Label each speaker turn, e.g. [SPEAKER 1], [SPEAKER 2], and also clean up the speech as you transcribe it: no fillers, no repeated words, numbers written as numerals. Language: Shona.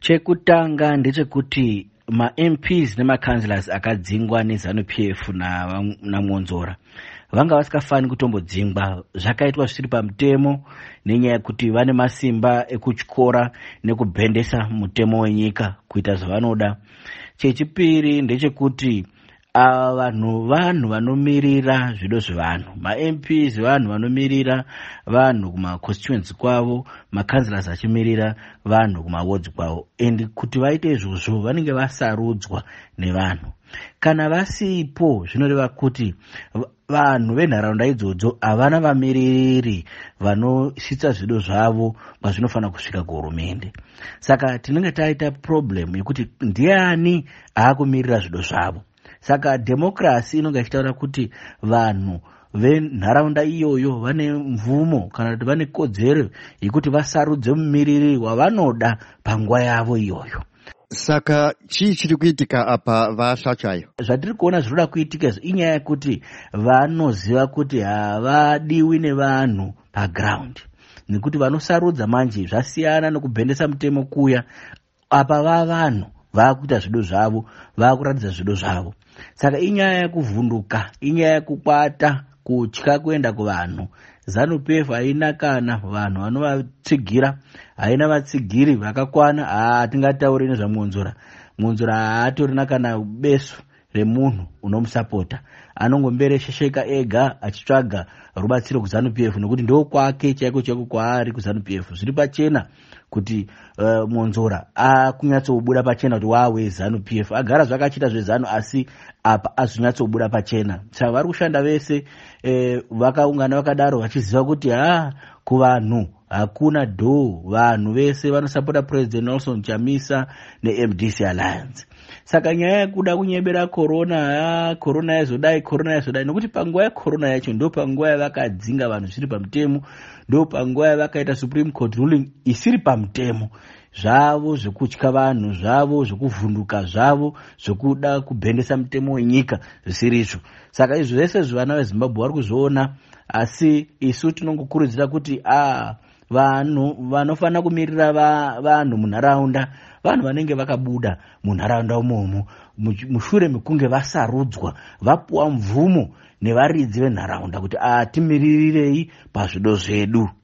[SPEAKER 1] Chekutanga ndechekuti maMPs nemacouncillors akadzingwa neZanu PF naMwonzora vanga vasingafani kutombodzingwa. Zvakaitwa zvisiri pamutemo nenyaya yekuti vane masimba ekutyora nekubhendesa mutemo wenyika kuita zvavanoda. Chechipiri ndechekuti ava vanhu vanhu vanomirira zvido zvevanhu. MaMPs vanhu vanomirira vanhu kumaconstituency kwavo, macouncillors achimirira vanhu kumawards kwavo, and kuti vaite izvozvo vanenge vasarudzwa nevanhu. Kana vasipo, zvinoreva kuti vanhu venharaunda idzodzo havana vamiririri vanosvitsa zvido zvavo kwazvinofanira kusvika kuhurumende. Saka tinenge taita problem yekuti ndiani aakumirira zvido zvavo. Saka dhemokirasi inonge ichitaura kuti vanhu venharaunda iyoyo vane mvumo kana kuti vane kodzero yekuti vasarudze mumiriri wavanoda panguva yavo iyoyo.
[SPEAKER 2] Saka chii chiri kuitika apa, vaHlatywayo?
[SPEAKER 1] Zvatiri kuona zvinoda kuitika izvi inyaya yekuti vanoziva kuti havadiwi nevanhu paground, nekuti vanosarudza manje zvasiyana nokubhendesa mutemo kuya. Apa vavanhu vaakuita zvido zvavo, vaakuratidza zvido zvavo. Saka inyaya yekuvhunduka, inyaya yekukwata, kutya kuenda kuvanhu. ZANU PF haina kana vanhu vanovatsigira, haina vatsigiri vakakwana. Hatingatauri nezvaMwonzora. Mwonzora haatorina kana besu remunhu unomusapota, anongombereshesheka ega achitsvaga rubatsiro kuZANU PF nekuti ndo kwake chaiko chaiko kwaari kuZANU PF. Zviri pachena kuti Mwonzora akunyatsobuda pachena kuti wawe ZANU PF. Agara zvakachiita zveZANU, asi apa azonyatsobuda pachena. Saka vari kushanda vese vakaungana vakadaro vachiziva kuti ha, kuvanhu hakuna dho, vanhu vese vanosapota President Nelson Chamisa neMDC Alliance. Saka nyaya yekuda kunyebera corona, ha, corona yazodai, corona yazodai, nokuti panguva yecorona yacho ndo panguva yavakadzinga vanhu zvisiri pamutemo, ndo panguva yavakaita Supreme Court ruling isiri pamutemo. Zvavo zvekutya vanhu, zvavo zvekuvhunduka, zvavo zvekuda kubhendesa mutemo wenyika zvisiri izvo. Saka izvo zvese zvivana veZimbabwe vari kuzviona, asi isu tinongokurudzira kuti a vanhu vanofanira kumirira vanhu munharaunda, vanhu vanenge vakabuda munharaunda umomo mushure mekunge vasarudzwa, vapuwa mvumo nevaridzi venharaunda kuti atimiririrei pazvido zvedu.